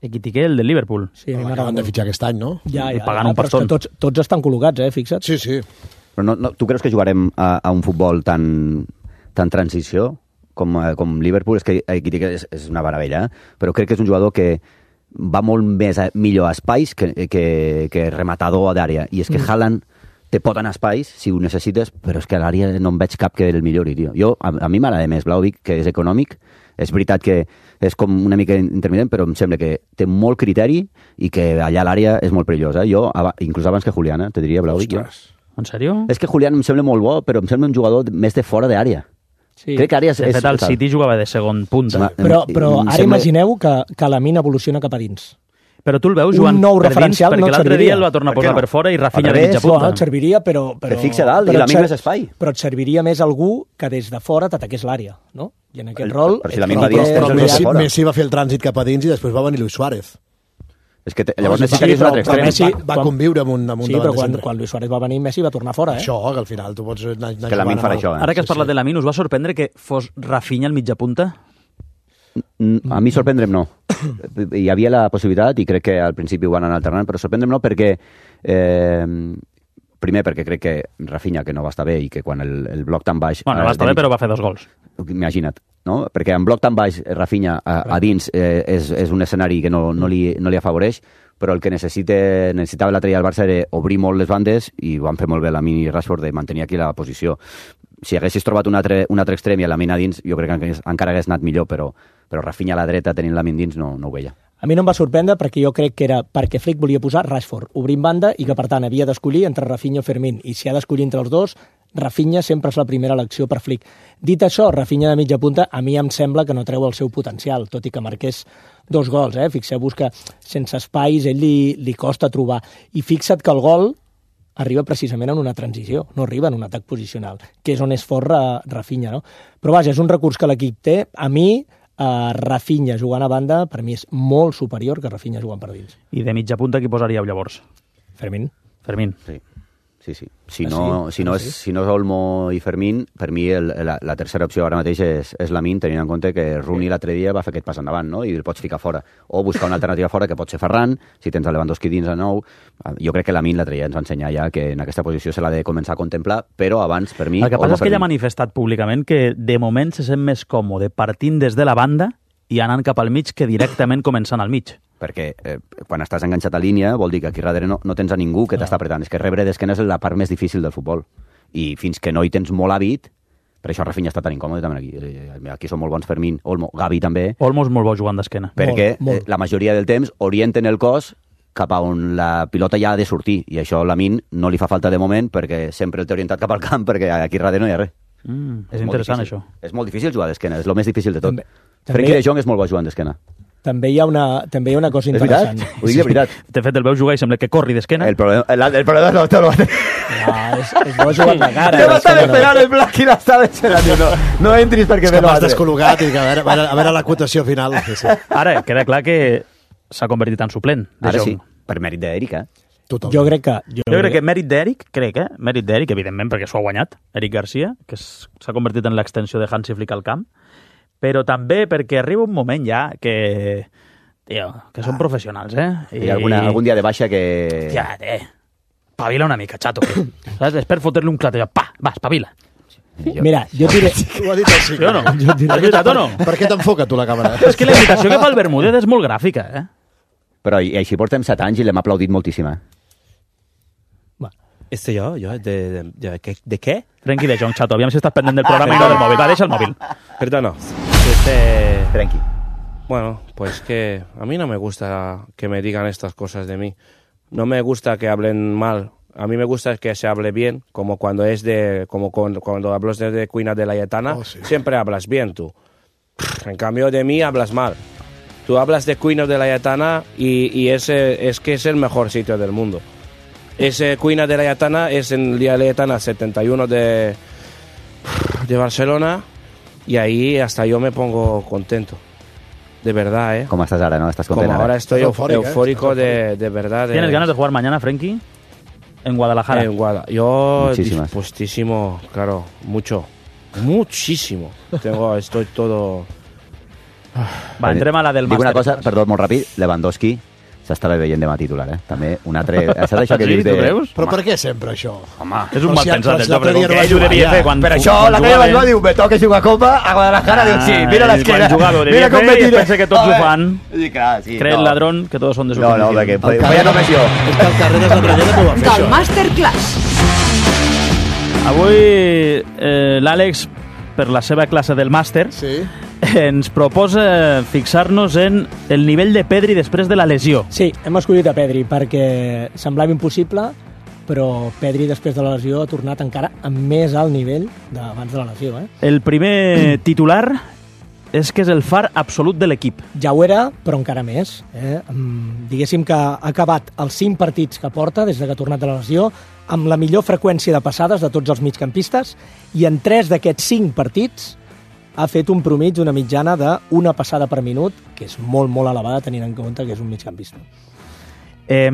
Ekitike, el del Liverpool. Sí, a mi m'agrada Acaben de molt. fitxar aquest any, no? Ja, ja, pagant ja, un però és pastón. que tots, tots estan col·locats, eh, fixa't. Sí, sí. Però no, no, tu creus que jugarem a, a un futbol tan, tan transició com, eh, com Liverpool? És que Ekitike és, és una meravella, eh? Però crec que és un jugador que va molt més a, millor a espais que, que, que rematador d'àrea. I és que mm. Haaland te pot anar a espais si ho necessites, però és que a l'àrea no en veig cap que el millori, tio. Jo, a, a mi m'agrada més Vlahovic, que és econòmic. És veritat que és com una mica intermitent, però em sembla que té molt criteri i que allà a l'àrea és molt perillós. Eh? Jo, inclús abans que Julián, eh, te diria Vlahovic. En sèrio? És que Julián em sembla molt bo, però em sembla un jugador més de fora d'àrea. Sí. Crec que àrea és... De fet, el és, City jugava de segon punta. em- Però, però em ara sembla- imagineu que, que Lamine evoluciona cap a dins. Però tu el veus Un jugant nou per dins, referencial perquè no et l'altre serviria. dia el va tornar a Per què posar no? per fora i Rafinha Al de revés, mitja No, punta. et serviria, però... però Que fixa dalt i però et Lamine ser- més espai. Però et serviria més algú que des de fora t'ataqués l'àrea, no? I en aquest El- rol... però si ets Lamine prou va dins, que- tens Però el de Messi, fora. Messi va fer el trànsit cap a dins i després va venir Luis Suárez. És que te, llavors Sí, necessitaries però- un altre però extrem. Messi Messi- va quan- conviure amb un, amb un Sí, davant però de quan, centre. quan Luis Suárez va venir, Messi va tornar fora, eh? Això, que al final tu pots anar, anar Que Lamine jugant farà amb això, el- eh? Ara que has Sí, parlat sí. de Lamine, us va sorprendre que fos Rafinha al mitja punta? Mm, A mi sorprendre'm no. Hi havia la possibilitat, i crec que al principi ho van anar alternant, però sorprendre'm no perquè... Eh, primer perquè crec que Rafinha, que no va estar bé, i que quan el, el bloc tan baix... Bueno, eh, va estar de bé, però va fer dos gols. Imagina't, no? Perquè en bloc tan baix eh, Rafinha a, a dins eh, és, és un escenari que no, no, li, no li afavoreix, però el que necessita, necessitava l'altre dia el Barça era obrir molt les bandes, i van fer molt bé Lamine i Rashford de mantenir aquí la posició. Si haguessis trobat un altre, un altre extrem i a Lamine a dins, jo crec que encara- encara hagués anat millor, però, però Rafinha a la dreta tenint Lamine dins no, no ho veia. A mi no em va sorprendre perquè jo crec que era perquè Flick volia posar Rashford obrint banda i que, per tant, havia d'escollir entre Rafinha o Fermín. I si ha d'escollir entre els dos, Rafinha sempre és la primera elecció per Flick. Dit això, Rafinha de mitja punta a mi em sembla que no treu el seu potencial, tot i que marqués dos gols. Eh? Fixeu-vos que sense espais ell li, li costa trobar. I fixa't que el gol arriba precisament en una transició, no arriba en un atac posicional, que és on és fort Ra- Rafinha. No? Però vaja, és un recurs que l'equip té. A mi, Uh, Rafinha jugant a banda, per mi és molt superior que Rafinha jugant per dins. I de mitja punta qui posaríeu llavors? Fermín. Fermín. Sí, sí, sí. Si Ah, no, sí? si no, Ah, és, sí? si no és Olmo i Fermín, per mi el, la, la tercera opció ara mateix és, és Lamine, tenint en compte que Rooney l'altre dia va fer aquest pas endavant, no? I el pots ficar fora. O buscar una alternativa fora, que pot ser Ferran, si tens el Lewandowski dins de nou. Jo crec que Lamine l'altre dia ens va ensenyar ja que en aquesta posició se l'ha de començar a contemplar, però abans, per mi... El que passa Olmo, és que ell ha Fermín. manifestat públicament que de moment se sent més còmode partint des de la banda i anant cap al mig que directament començant al mig. Perquè eh, quan estàs enganxat a línia vol dir que aquí darrere no, no tens a ningú que t'està apretant. És que rebre d'esquena és la part més difícil del futbol. I fins que no hi tens molt hàbit, per això Rafinha està tan incòmode també aquí. Eh, Aquí són molt bons Fermín, Olmo, Gavi també, Olmo és molt bo jugant d'esquena. perquè Molt, molt. eh, la majoria del temps orienten el cos cap a on la pilota ja ha de sortir. I això a Lamine no li fa falta de moment perquè sempre el té orientat cap al camp perquè aquí darrere no hi ha res. Mm, és molt interessant, difícil. això. És molt difícil jugar d'esquena, és el més difícil de tot. També- també- Frenkie de Jong és molt bo jugant d'esquena. També hi ha una, també hi ha una cosa És veritat? interessant. Ho dic de veritat. De fet, el veus jugar i sembla que corri d'esquena. El problema, el, el problema no te lo va a No, és, és bo jugar de cara. Yo me estaba d'esquena no. esperando el Black y la estaba esperando. No, no entris perquè És me que lo m'has hace. descol·locat i que a veure, a veure, a veure la quotació final. Sí, sí. Ara, queda clar que s'ha convertit en suplent de Ara Jong. sí, per mèrit d'Eric, eh? Totalment. Jo crec que... Jo, Jo crec que mèrit d'Eric, crec, eh? Mèrit d'Eric, evidentment, perquè s'ho ha guanyat, Eric Garcia, que és- s'ha convertit en l'extensió de Hansi Flick al camp, però també perquè arriba un moment ja que... Tio, que són professionals, eh? I alguna, algun dia de baixa que... Ja, eh, espavila una mica, xato. Saps? És per fotre-li un clatell. Pa, va, espavila. Jo- Mira, jo et diré... Ho ha dit així. Sí o no? Jo et diré... Has veritat o no? Per què t'enfoca tu la càmera? És que la imitació que fa el Bermúdez és molt gràfica, eh? Però i, així portem set anys i l'hem aplaudit moltíssim, eh? Va. Este jo? jo de, de, de, de, de què? Frenkie de Jong, xato. Aviam si estàs pendent del programa ah, i no del mòbil. Va, deixa el mòvil. Perdona. Este... Frenkie. Bueno, pues que a mí no me gusta que me digan estas cosas de mí. No me gusta que hablen mal. A mí me gusta que se hable bien, como cuando es de, como cuando, cuando hablas de, de Cuina de la Laietana, oh, sí. Siempre hablas bien tú. En cambio de mí hablas mal. Tú hablas de Cuina de la Laietana y, y ese es que es el mejor sitio del mundo. Ese Cuina de la Laietana es en la Laietana setenta y uno de, de Barcelona y ahí hasta yo me pongo contento. De verdad, ¿eh? ¿Cómo estás ahora, no? ¿Estás contento? Como ahora estoy eufórico, eufórico de, de verdad. De... ¿Tienes ganas de jugar mañana, Frenkie? En Guadalajara. En Guadalajara. Yo dispuestísimo, claro, mucho. Muchísimo. Tengo, estoy todo... Va, entrem a la del màster. Dic una cosa, perdó, molt ràpid, Lewandowski s'estava veient demà titular, eh? També un altre... Saps això que dius de... Però per què sempre això? Home, és un mal si pensat, el però que ell ho devia fer quan... Per això, la que va diu, me toca jugar Copa, a Guadalajara, diu, sí, mira l'esquena, mira com me tira. I pensa que tots ho fan. Sí, clar, sí. Cree el ladrón que todos son de su No, no, perquè feia només jo. És que el carrer de Sant Rellena no ho va fer, Del Masterclass. Avui eh, l'Àlex, per la seva classe del màster, sí. ens proposa fixar-nos en el nivell de Pedri després de la lesió. Sí, hem escollit a Pedri perquè semblava impossible, però Pedri després de la lesió ha tornat encara amb més alt nivell d'abans de la lesió. Eh? El primer titular és que és el far absolut de l'equip. Ja ho era, però encara més. Eh? Diguéssim que ha acabat els cinc partits que porta des que ha tornat de la lesió amb la millor freqüència de passades de tots els migcampistes i en tres d'aquests cinc partits ha fet un promig, una mitjana d'una passada per minut, que és molt, molt elevada tenint en compte que és un migcampista. Eh,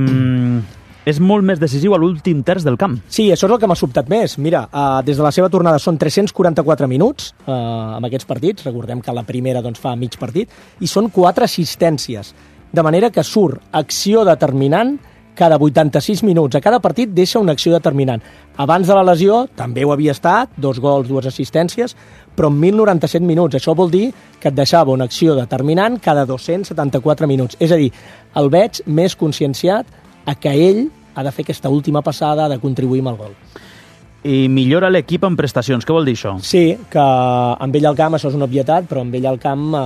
és molt més decisiu a l'últim terç del camp. Sí, això és el que m'ha sobtat més. Mira, uh, des de la seva tornada són tres-cents quaranta-quatre minuts uh, amb aquests partits. Recordem que la primera doncs, fa mig partit. I són quatre assistències. De manera que surt acció determinant cada vuitanta-sis minuts. A cada partit deixa una acció determinant. Abans de la lesió també ho havia estat, dos gols, dues assistències, però en mil noranta-set minuts. Això vol dir que et deixava una acció determinant cada dos-cents setanta-quatre minuts. És a dir, el veig més conscienciat a que ell ha de fer aquesta última passada, ha de contribuir amb el gol. I millora l'equip en prestacions. Què vol dir això? Sí, que amb ell al camp això és una obvietat, però amb ell al camp eh,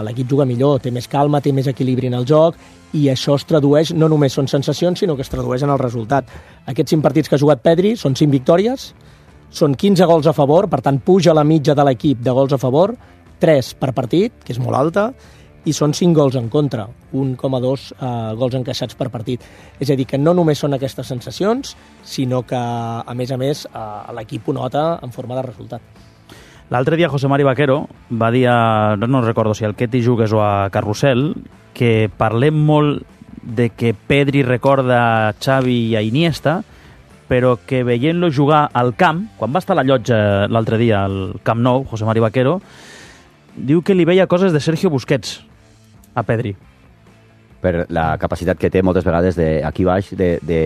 l'equip juga millor, té més calma, té més equilibri en el joc, i això es tradueix, no només són sensacions, sinó que es tradueix en el resultat. Aquests cinc partits que ha jugat Pedri són cinc victòries, són quinze gols a favor, per tant puja la mitja de l'equip de gols a favor, tres per partit, que és molt alta, i són cinc gols en contra, un coma dos eh, gols encaixats per partit. És a dir, que no només són aquestes sensacions, sinó que, a més a més, eh, l'equip ho nota en forma de resultat. L'altre dia José Mari Vaquero va dir, a, no recordo si al Ketty Jugues o a Carrusel, que parlem molt de que Pedri recorda a Xavi i a Iniesta, però que veient-lo jugar al camp, quan va estar a la llotja l'altre dia al Camp Nou, José Mari Vaquero, diu que li veia coses de Sergio Busquets a Pedri. Per la capacitat que té moltes vegades de, aquí baix de, de,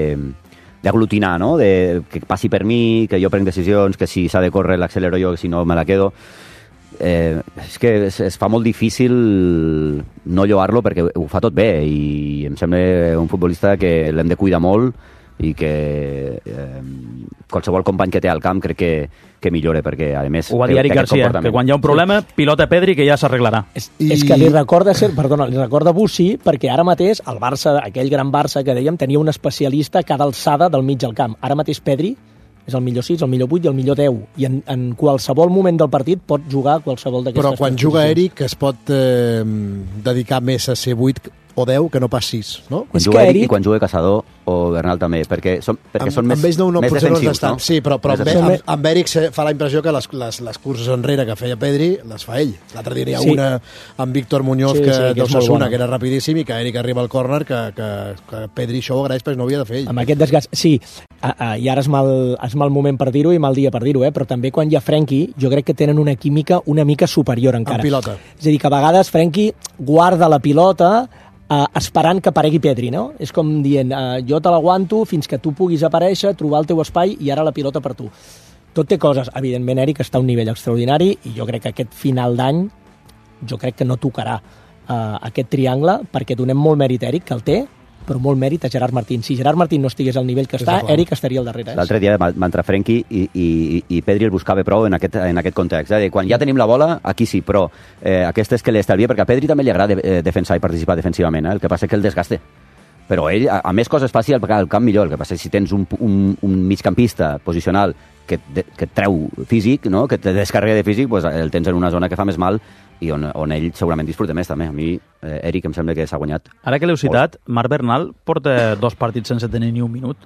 d'aglutinar, no? De, que passi per mi, que jo prenc decisions, que si s'ha de córrer l'accelero jo, que si no me la quedo. Eh, és que es, es fa molt difícil no lloar-lo perquè ho fa tot bé i em sembla un futbolista que l'hem de cuidar molt i que eh, qualsevol company que té al camp crec que, que millore perquè a més ho va dir Eric Garcia, que quan hi ha un problema pilota Pedri que ja s'arreglarà. És, I... és que li recorda ser, perdona, li recorda Bussi perquè ara mateix el Barça, aquell gran Barça que dèiem, tenia un especialista a cada alçada del mig del camp. Ara mateix Pedri és el millor sis, el millor vuit i el millor deu. I en, en qualsevol moment del partit pot jugar qualsevol d'aquestes posicions. Però quan juga Eric es pot eh, dedicar més a ser vuit o deu que no pas sis, no? Quan juga Eric, Eric i quan juga Caçador o Bernal també, perquè són, perquè amb, són més, amb ells no, no, més defensius, no? Sí, però, però amb, amb, amb, amb Eric fa la impressió que les, les, les curses enrere que feia Pedri les fa ell. L'altre dia hi ha sí. una amb Víctor Muñoz sí, que, sí, que d'Osasuna, que era rapidíssim, i que Eric arriba al córner que, que, que Pedri això ho agraeix perquè no havia de fer ell. Amb aquest desgast, sí, uh, uh, i ara és mal, és mal moment per dir-ho i mal dia per dir-ho, eh? Però també quan hi ha Frenkie, jo crec que tenen una química una mica superior encara. En pilota. És a dir, que a vegades Frenkie guarda la pilota Uh, esperant que aparegui Pedri, no? És com dient, uh, jo te l'aguanto fins que tu puguis aparèixer, trobar el teu espai i ara la pilota per tu. Tot té coses. Evidentment, Eric està a un nivell extraordinari i jo crec que aquest final d'any jo crec que no tocarà uh, aquest triangle perquè donem molt mèrit a Eric, que el té, però molt mèrit a Gerard Martín. Si Gerard Martín no estigués al nivell que està, Eric estaria al darrere. Eh? L'altre dia va, va entrar Frenkie i, i, i Pedri el buscava prou en aquest, en aquest context. Eh? Quan ja tenim la bola, aquí sí, però eh, aquest és que l'estalvia, perquè a Pedri també li agrada eh, defensar i participar defensivament, eh? El que passa és que el desgaste. Però ell, a, a més coses fàcil, al camp millor. El que passa és que si tens un, un, un migcampista posicional que, de, que et treu físic, no? Que te descarrega de físic, pues el tens en una zona que fa més mal i on, on ell segurament disfruta més també. A mi, eh, Eric, em sembla que s'ha guanyat. Ara que l'heu citat, Marc Bernal porta dos partits sense tenir ni un minut.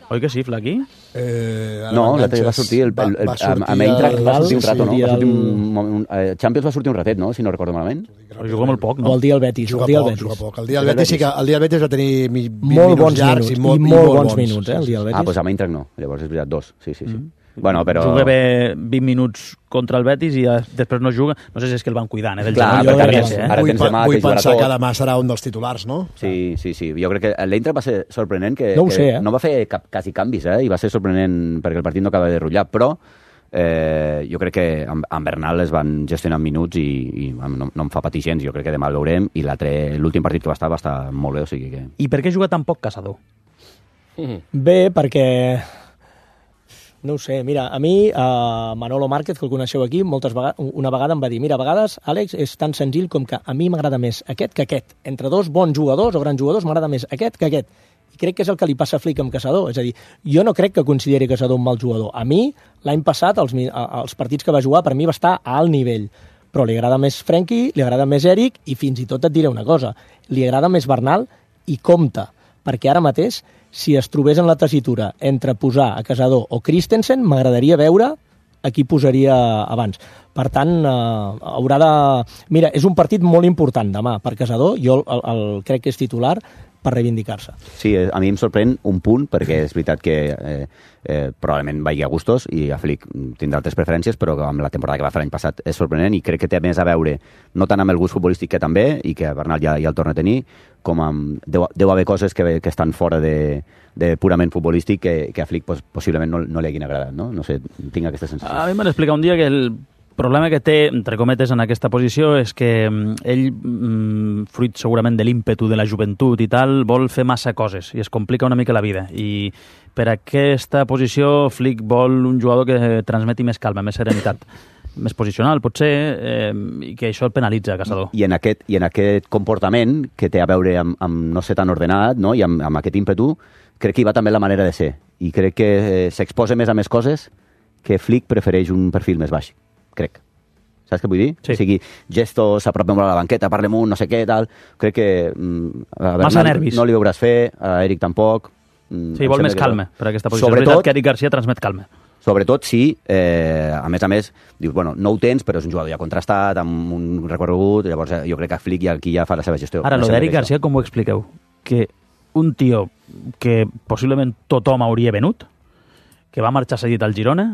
Oi que sí, Flaqui? Eh, no, l'altre va sortir, el, el, el, va, va sortir amb Eintracht va sortir un rato, no? Va sortir un, un, eh, Champions va sortir un ratet, no? Si no recordo malament. Però juga molt poc, no? O el dia al Betis. Juga el dia poc, Betis. juga poc. El dia al Betis sí que el dia al Betis va tenir vint molt minuts bons llargs minuts, i molt, i molt, i molt bons, bons minuts, eh, el dia al Betis. Ah, doncs amb Eintracht no. Llavors és veritat, dos. Sí, sí, sí. Mm. Bueno, però... Juga bé vint minuts contra el Betis i després no juga. No sé si és que el van cuidant, eh? Del Clar, genoll, perquè perquè, eh? ara vull, tens demà vull que jugarà pensar tot. que demà serà un dels titulars, no? Sí, sí, sí. Jo crec que l'Eintracht va ser sorprenent que, no, que sé, eh? no va fer cap, quasi canvis, eh? I va ser sorprenent perquè el partit no acaba de rutllar, però eh, jo crec que amb, amb Bernal es van gestionar minuts i, i no, no em fa patir gens. Jo crec que demà el veurem i l'últim partit que va estar va estar molt bé, o sigui que... I per què juga tan poc Caçador? Mm. Bé, perquè... No ho sé, mira, a mi, uh, Manolo Márquez, que el coneixeu aquí, moltes vegades, una vegada em va dir, mira, a vegades, Àlex, és tan senzill com que a mi m'agrada més aquest que aquest. Entre dos bons jugadors o grans jugadors m'agrada més aquest que aquest. I crec que és el que li passa a Flick amb Caçador. És a dir, jo no crec que consideri Caçador un mal jugador. A mi, l'any passat, els, els partits que va jugar, per mi va estar a alt nivell. Però li agrada més Frenkie, li agrada més Eric i fins i tot et diré una cosa, li agrada més Bernal i compta, perquè ara mateix si es trobés en la tessitura entre posar a Caçador o Christensen, m'agradaria veure a qui posaria abans. Per tant, eh, haurà de... Mira, és un partit molt important demà per Caçador, jo el, el, crec que és titular per reivindicar-se. Sí, a mi em sorprèn un punt, perquè és veritat que eh, eh, probablement vagi a gustos i a Flick tindrà altres preferències, però amb la temporada que va fer l'any passat és sorprenent i crec que té més a veure, no tant amb el gust futbolístic que també, i que Bernal ja, ja el torna a tenir, com amb... Deu, deu haver coses que, que estan fora de, de purament futbolístic que, que a Flick pues, possiblement no, no li hagin agradat, no? No sé, tinc aquesta sensació. A mi m'han explicat un dia que el problema que té, entre cometes, en aquesta posició és que ell, fruit segurament de l'ímpetu de la joventut i tal, vol fer massa coses i es complica una mica la vida. I per aquesta posició Flick vol un jugador que transmeti més calma, més serenitat, més posicional, potser, eh, i que això el penalitza a Caçador. I en aquest, i en aquest comportament que té a veure amb, amb no ser tan ordenat, no? I amb, amb aquest ímpetu, crec que hi va també la manera de ser. I crec que eh, s'exposa més a més coses que Flick prefereix un perfil més baix. Crec. Saps què vull dir? Sí. O sigui, gestos, s'apropem a la banqueta, parlem un, no sé què, tal. Crec que... Mm, a Massa nervis. No li veuràs fer, a Eric tampoc. Mm, sí, vol més calma per aquesta posició. Sobretot, és veritat que Eric Garcia transmet calma. Sobretot si, eh, a més a més, dius, bueno, no ho tens, però és un jugador ja contrastat, amb un recorregut, llavors eh, jo crec que Flick ja, aquí ja fa la seva gestió. Ara, lo d'Eric Garcia, com ho expliqueu? Que un tio que possiblement tothom hauria venut, que va marxar cedit al Girona,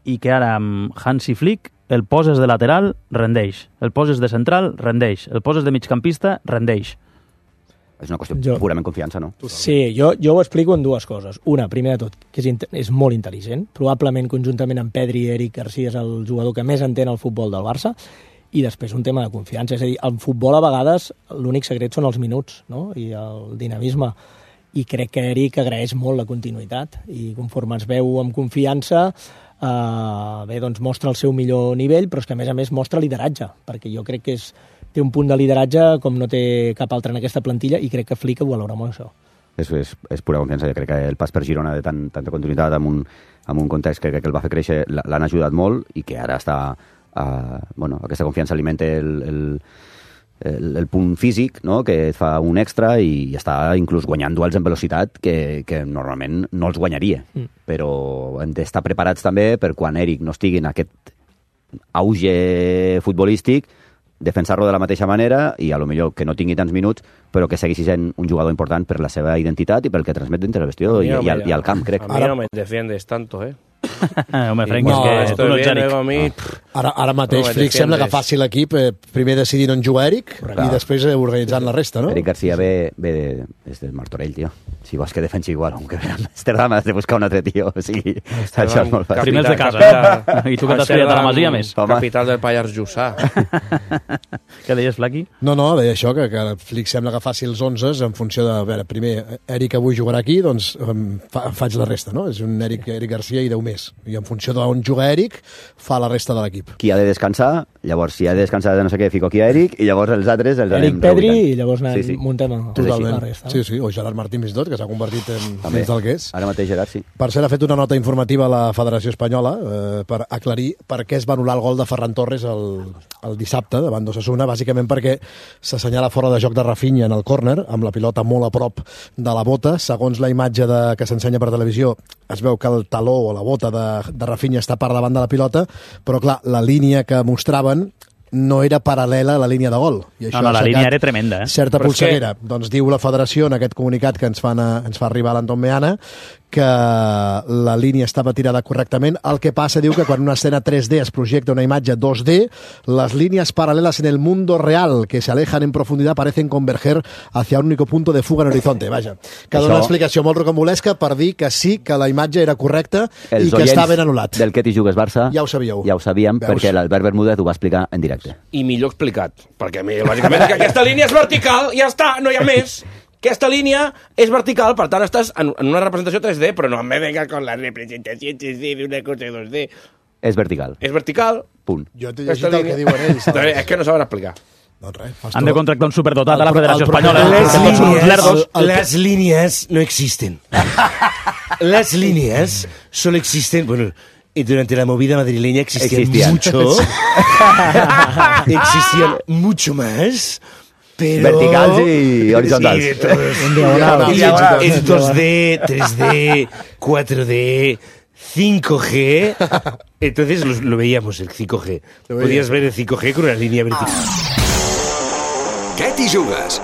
i que ara amb Hansi Flick el poses de lateral, rendeix. El poses de central, rendeix. El poses de migcampista, rendeix. És una qüestió jo, purament confiança, no? Sí, jo, jo ho explico en dues coses. Una, primer de tot, que és, és molt intel·ligent. Probablement, conjuntament amb Pedri i Eric Garcia, és el jugador que més entén el futbol del Barça. I després un tema de confiança. És a dir, el futbol a vegades l'únic secret són els minuts, no? I el dinamisme. I crec que Eric agraeix molt la continuïtat. I conforme es veu amb confiança, Uh, bé, doncs mostra el seu millor nivell, però és que a més a més mostra lideratge, perquè jo crec que és, té un punt de lideratge com no té cap altre en aquesta plantilla i crec que Flick ho valora molt això. És, és, és pura confiança. Jo crec que el pas per Girona de tant, tanta continuïtat amb un, amb un context que crec que el va fer créixer l'han ajudat molt i que ara està uh, bueno, aquesta confiança alimenta el, el El, el punt físic, no? Que et fa un extra i està inclús guanyant duels en velocitat que, que normalment no els guanyaria. Mm. Però hem d'estar preparats també per quan Eric no estigui en aquest auge futbolístic, defensar-lo de la mateixa manera i a lo millor que no tingui tants minuts, però que segueixi sent un jugador important per la seva identitat i pel que transmet dintre el vestió i, i, al, i al camp, crec. A mi no me defiendes tanto, eh? Home, Frank, No, és que estoy tu no ets bien, Eric. luego a mí... Ara, ara mateix, No me Flick sembla que defiendes. faci l'equip eh, primer decidint on juga Eric i després eh, organitzant la resta, no? Eric Garcia ve, ve de, és del Martorell, tio. Si vols que defensi igual, aunque ve a Amsterdam has de buscar un altre tio. O sigui, això és molt fàcil. Primers de casa. Capital- I tu que t'has criat a la Masia, més. Home. Capital del Pallars Jussà. Què deies, Flaqui? No, no, deia això, que, que Flick sembla que faci els onze en funció de, a veure, primer, Eric avui jugarà aquí, doncs em, fa, faig la resta, no? És un Eric, Eric Garcia i deu més. I en funció d'on juga Eric, fa la resta de l'equip. Qui ha de descansar, llavors si ha de descansar de no sé què, fico aquí a Eric, i llavors els altres els Eric anem Pedri reubicant. i llavors anem, Sí, sí. muntem a, Totalment. la resta. Sí, sí, o Gerard Martín fins i tot, que s'ha convertit en També. dins del que és. Ara mateix, Gerard, sí. Per cert, ha fet una nota informativa a la Federació Espanyola eh, per aclarir per què es va anul·lar el gol de Ferran Torres el, el dissabte davant d'Osasuna, bàsicament perquè s'assenyala fora de joc de Rafinha en el córner, amb la pilota molt a prop de la bota. Segons la imatge de, que s'ensenya per televisió, es veu que el taló o la bota de, de Rafinha està per davant de la pilota, però clar, la línia que mostraven no era paral·lela a la línia de gol. I No, no, ha la aixecat línia era tremenda, eh? certa Però és polseguera. Doncs diu la federació en aquest comunicat que ens, fan a, ens fa arribar l'Anton Meana que la línia estava tirada correctament. El que passa, diu que quan una escena tres D es projecta una imatge dos D, las líneas paralelas en el mundo real que se alejan en profundidad parecen converger hacia un único punto de fuga en horizonte. Vaja, que dona Això- una explicació molt rocambolesca per dir que sí, que la imatge era correcta Els i que oients està ben anul·lat. del que t'hi jugues Barça Ja ho sabíeu. ja ho sabíem, Veus? perquè l'Albert Bermúdez ho va explicar en directe. I millor explicat, perquè a mi, bàsicament, que aquesta línia és vertical, ja està, no hi ha més. Aquesta línia és vertical, per tant, estàs en, en una representació tres D, però no em venga con la representació tres D de una cosa dos D. És vertical. És vertical. Punt. Jo t'he Aquesta llegit el que diuen ells. No, és que no saben explicar. Doncs res, fas Han de tot. contractar un superdotat a la El- Federació el problema- Espanyola. Les que tots són uns línies- lerdos. el- Las líneas no existen. Las líneas solo existen, bueno, y durante la movida madrileña existían, Existían. mucho. Existían mucho más. Pero... Verticals y horizontals. Sí, de todos. En diagonal. Y Diagonal. es dos D, tres D, cuatro D, cinco G. Entonces lo, lo veíamos, el cinco G. Podías ver el cinco G con una línea vertical. Què t'hi jugues?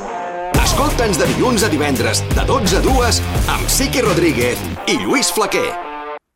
Escolta'ns de dilluns a divendres, de dotze a dues, amb Siqui Rodríguez i Lluís Flaquer.